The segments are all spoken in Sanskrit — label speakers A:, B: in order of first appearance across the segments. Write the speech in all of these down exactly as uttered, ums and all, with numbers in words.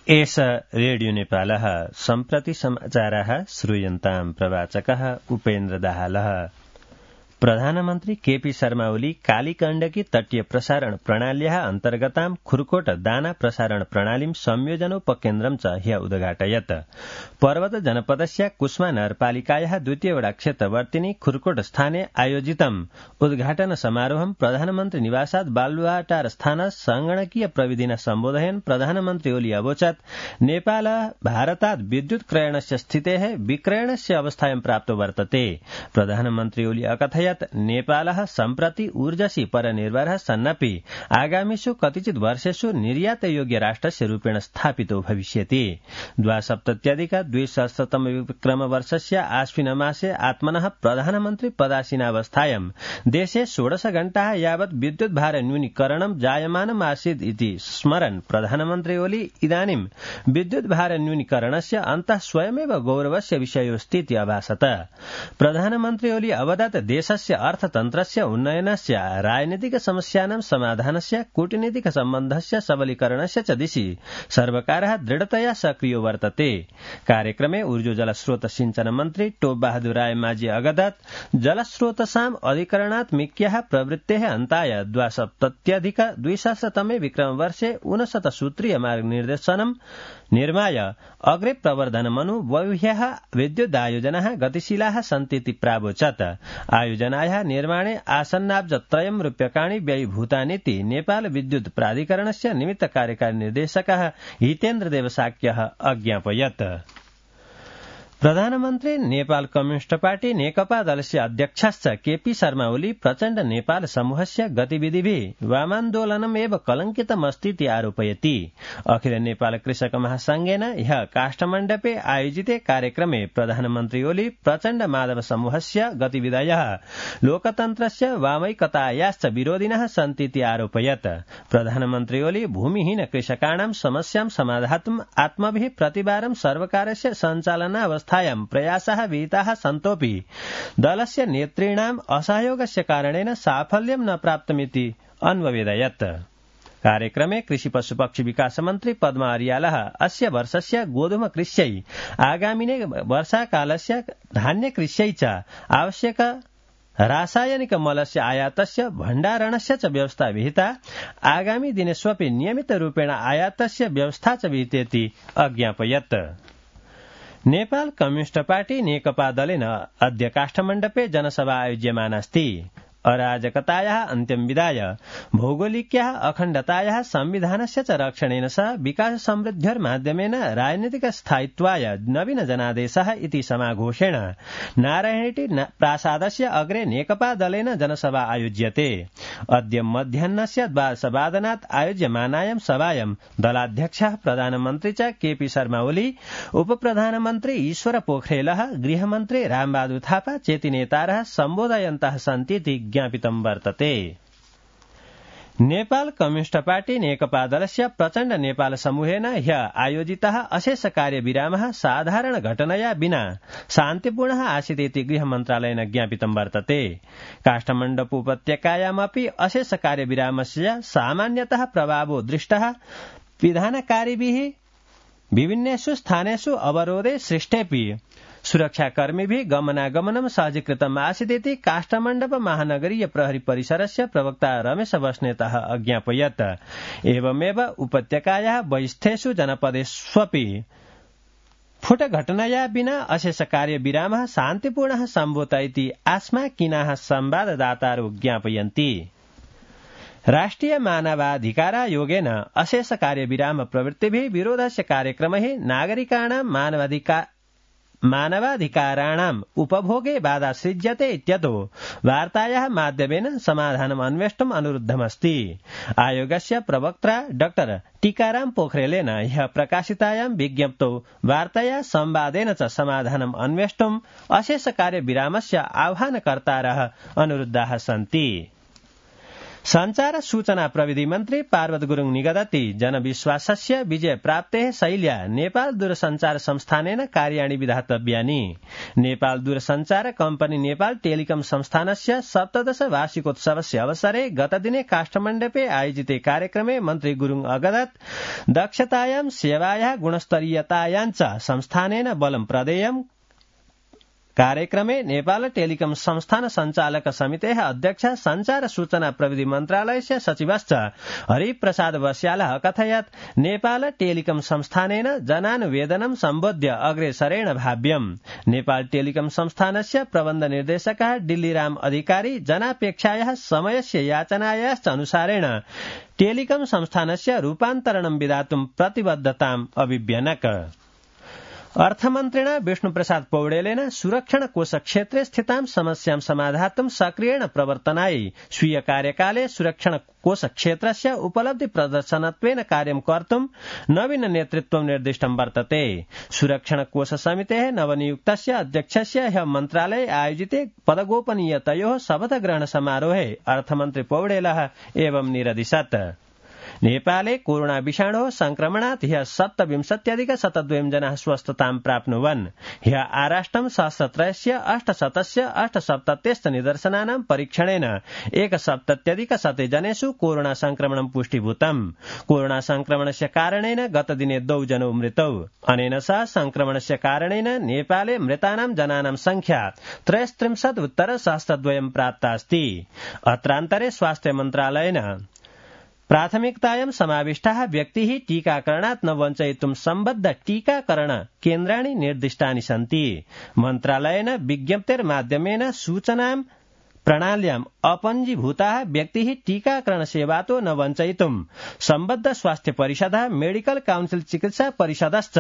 A: एष रेडियो नेपालः सम्प्रति समाचारः श्रूयन्ताम् प्रवाचकः उपेन्द्र दाहालः। प्रधानमन्त्री केपी शर्मा ओली कालीकण्डकी तटीय प्रसारण प्रणाल्याः अन्तर्गतां खुरकोट दाना प्रसारण प्रणालीं संयोजनोपकेन्द्रं च ह्य उद्घाटयत्। पर्वत जनपदस्य कुस्मा नगरपालिकायाः द्वितीयवडा क्षेत्रवर्तिनी खुरकोट स्थाने आयोजितम् उद्घाटन समारोहं प्रधानमन्त्री निवासात् बालुवाटार स्थान संगणकीय प्रविधिना सम्बोधयन् प्रधानमन्त्री ओली अवोचत् नेपाल भारतात् विद्युत क्रयणस्य स्थितेः विक्रयणस्य अवस्थायां प्राप्तो वर्तते। प्रधानमन्त्री ओली अकथयत् नेपालः सम्प्रति ऊर्जसी परनिर्भरः सन्नपि आगामिषु कतिचित् वर्षेषु निर्यातयोग्य राष्ट्रस्य रूपेण स्थापितो भविष्यति। द्वासप्तत्यधिक द्विसहस्रतम विक्रमवर्षस्य आश्विन मासे आत्मनः प्रधानमन्त्री पदासीनावस्थायां देशे षोडश घण्टाः यावत् विद्युत भार न्यूनीकरणं जायमानम् आसीत् इति स्मरन् प्रधानमन्त्री ओली इदानीं विद्युत भार न्यूनीकरणस्य अन्तः स्वयमेव गौरवस्य विषयोऽस्तीति अभासत। प्रधानमन्त्री ओली अवदत् देशस्य अर्थतन्त्रस्य उन्नयनस्य राजनीतिक समस्यानां समाधानस्य कूटनीतिक सम्बन्धस्य सबलीकरणस्य च दिशि सर्वकारः दृढतया सक्रियो वर्तते। कार्यक्रमे ऊर्जो जलस्रोत सिंचन मन्त्री टोप बहादुर राय माझी अगदत् जलस्रोतसाम् अधिकरणात् मिक्याः प्रवृत्तेः अन्ताय द्वासप्तत्यधिक द्विसहस्रतमे विक्रमवर्षे ऊनशत सूत्रीय मार्गनिर्देशनम् निर्माय अग्रे प्रवर्धनमनु बह्व्यः विद्युदायोजनाः गतिशीलाः सन्तीति प्रावोचत्। आयोजनायाः निर्माणे आसन्नाब्जत्रयं रूप्यकाणि व्ययीभूतानीति नेपाल विद्युत प्राधिकरणस्य निमित्त कार्यकारी निर्देशकः हितेन्द्र देवसाक्यः अज्ञापयत्। प्रधानमन्त्री नेपाल कम्युनिष्ट पार्टी नेकपा दलस्य अध्यक्षश्च केपी शर्मा ओली प्रचण्ड नेपाल समूहस्य गतिविधिभिः वामान्दोलनम् एव कलंकितमस्तीति आरोपयति। अखिल नेपाल कृषक महासंघेन ह्यः काष्ठमण्डपे आयोजिते कार्यक्रमे प्रधानमन्त्री ओली प्रचण्ड माधव समूहस्य गतिविधयः लोकतन्त्रस्य वामैकतायाश्च विरोधिनः सन्तीति आरोपयत्। प्रधानमन्त्री ओली भूमिहीन कृषकाणां समस्यां समाधातुम् आत्मभिः प्रतिवारं सर्वकारस्य सञ्चालनावस्था प्रयासः विहिताः सन्तोऽपि दलस्य नेतॄणाम् असहयोगस्य कारणेन साफल्यं न प्राप्तमिति अन्ववेदयत्। कार्यक्रमे कृषि पशुपक्षी विकास मन्त्री पद्मा अर्यालः अस्य वर्षस्य गोधूम कृष्यै आगामिने वर्षाकालस्य धान्य कृष्यै च आवश्यक रासायनिक मलस्य आयातस्य भण्डारणस्य च व्यवस्था विहिता आगामी दिनेष्वपि नियमितरूपेण आयातस्य व्यवस्था च विहितेति अज्ञापयत्। नेपाल कम्युनिष्ट पार्टी नेकपा दलेन अद्य काष्ठमण्डपे जनसभा आयोज्यमानास्ति। अराजकतायाः अन्त्यं विधाय भौगोलिक्याः अखण्डतायाः संविधानस्य च रक्षणेन सह विकास समृद्ध्यर्माध्यमेन राजनीतिक स्थायित्वाय नवीन जनादेशः इति समाघोषेण नारायणेटी प्रासादस्य अग्रे नेकपा दलेन जनसभा आयोज्यते। अद्य मध्याह्नस्य द्वादशवादनात् आयोज्यमानायां सभायां दलाध्यक्षः प्रधानमन्त्री च केपी शर्मा ओली उपप्रधानमन्त्री ईश्वर पोखरेलः गृहमन्त्री रामबहादुर थापा चेति नेतारः सम्बोधयन्तः सन्तीति ज्ञापितं वर्तते। नेपाल कम्युनिष्ट पार्टी नेकपा दलस्य प्रचण्ड नेपाल समूहेन ह्यः आयोजितः अशेष कार्यविरामः साधारण घटनया विना शान्तिपूर्णः आसीदिति गृह मन्त्रालयेन ज्ञापितं वर्तते। काष्ठमण्डप उपत्यकायामपि अशेष कार्यविरामस्य सामान्यतः प्रभावो दृष्टः विधानकारिभिः विभिन्नेषु स्थानेषु अवरोधे सृष्टेऽपि सुरक्षाकर्मीभिः गमनागमनं सहजीकृतम् आसीदिति काष्ठमण्डप महानगरीय प्रहरी परिसरस्य प्रवक्ता रमेश बस्नेतः अज्ञापयत्। एवमेव उपत्यकायाः बहिस्थेषु जनपदेष्वपि फुटघटनया विना अशेष कार्यविरामः शान्तिपूर्णः सम्भूत इति आस्माकीनाः संवाददातारो ज्ञापयन्ति। राष्ट्रिय मानवाधिकारायोगेन अशेष कार्यविराम प्रवृत्तिभिः विरोधस्य कार्यक्रमैः नागरिकाणां मानवाधिकार मानवाधिकाराणाम् उपभोगे बाधा सृज्यते इत्यतो वार्तायाः माध्यमेन समाधानम् अन्वेष्टुम् अनुरुद्धमस्ति। आयोगस्य प्रवक्ता डाक्टर टीकाराम पोखरेलेन ह्यः प्रकाशितायां विज्ञप्तौ वार्ताया संवादेन च समाधानम् अन्वेष्टुम् अशेष कार्यविरामस्य आह्वानकर्तारः अनुरुद्धाः सन्ति। संचार सूचना प्रविधि मन्त्री पार्वत गुरुङ निगदति जनविश्वासस्य विजय प्राप्तेः शैल्या नेपाल दूरसञ्चार संस्थानेन कार्याणि विधातव्यानि। नेपाल दूरसञ्चार कम्पनी नेपाल टेलिकम संस्थानस्य सप्तदश वार्षिकोत्सवस्य अवसरे गतदिने काठमाडौँे आयोजिते कार्यक्रमे मन्त्री गुरुङ अगदत् दक्षतायां सेवायाः गुणस्तरीयतायां च संस्थानेन बलं प्रदेयम्। कार्यक्रमे नेपाल टेलिकम संस्थान संचालक समितेः अध्यक्ष संचार सूचना प्रविधि मन्त्रालयस्य सचिवश्च हरिप्रसाद बस्यालः अकथयत् नेपाल टेलिकम संस्थानेन जनानुवेदनं सम्बोध्य अग्रेसरेण भाव्यम्। नेपाल टेलिकम संस्थानस्य प्रबन्ध निर्देशकः डिल्लीराम अधिकारी जनापेक्षायाः समयस्य याचनायाश्च अनुसारेण टेलिकम संस्थानस्य रूपान्तरणं विधातुं प्रतिबद्धताम् अभिव्यनक। अर्थमन्त्रिणा विष्णुप्रसाद पौडेलेन सुरक्षण कोष क्षेत्रे स्थितां समस्यां समाधातुं सक्रियेण प्रवर्तनाय स्वीय कार्यकाले सुरक्षण कोष क्षेत्रस्य उपलब्धि प्रदर्शनत्वेन कार्यं कर्तुं नवीन नेतृत्वं निर्दिष्टं वर्तते। सुरक्षण कोष समितेः नवनियुक्तस्य अध्यक्षस्य ह्यः मन्त्रालये आयोजिते पदगोपनीयतयोः शपथग्रहण समारोहे अर्थमन्त्री पौडेलः एवं निरदिशत्। नेपाले कोरोना विषाणोः संक्रमणात् ह्यः सप्तविंशत्यधिक शतद्वयं जनाः स्वस्थतां प्राप्नुवन्। ह्यः आराष्ट्रं सहस्रत्रयस्य अष्टशतस्य अष्टसप्तत्यष्ट निदर्शनानां परीक्षणेन एकसप्तत्यधिक शते जनेषु कोरोना संक्रमणं पुष्टीभूतम्। कोरोना संक्रमणस्य कारणेन गतदिने द्वौ जनौ मृतौ। अनेन सह संक्रमणस्य कारणेन नेपाले मृतानां जनानां संख्या त्रयस्त्रिंशत् उत्तर सहस्रद्वयं प्राप्तास्ति। अत्रान्तरे स्वास्थ्य मन्त्रालयेन प्राथमिकतायां समाविष्टाः व्यक्तिः टीकाकरणात् न वञ्चयितुं सम्बद्ध टीकाकरण केन्द्राणि निर्दिष्टानि सन्ति। मन्त्रालयेन विज्ञप्तेर्माध्यमेन सूचनां प्रणाल्याम् अपञ्जीभूताः व्यक्तिः टीकाकरण सेवातो न वञ्चयितुं सम्बद्ध स्वास्थ्य परिषदः मेडिकल काउन्सिल चिकित्सा परिषदश्च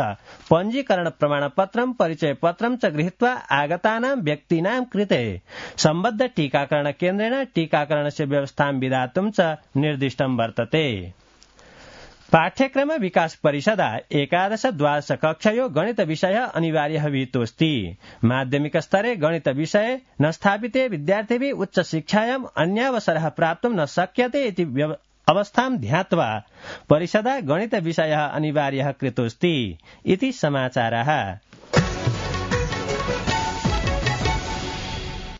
A: पञ्जीकरण प्रमाणपत्रं परिचयपत्रं च गृहीत्वा आगतानां व्यक्तीनां कृते सम्बद्ध टीकाकरण केन्द्रेण टीकाकरणस्य व्यवस्थां विधातुं च निर्दिष्टं वर्तते। पाठ्यक्रम विकास परिषदा एकादश द्वादश कक्षयो गणित विषय अनिवार्यः विहितोऽस्ति। माध्यमिक स्तरे गणित विषये न स्थापिते विद्यार्थिभिः उच्च शिक्षायाम् अन्यावसरः प्राप्तुं न शक्यते इति अवस्थां ध्यात्वा परिषदा गणित विषयः अनिवार्यः कृतोऽस्ति इति समाचारः।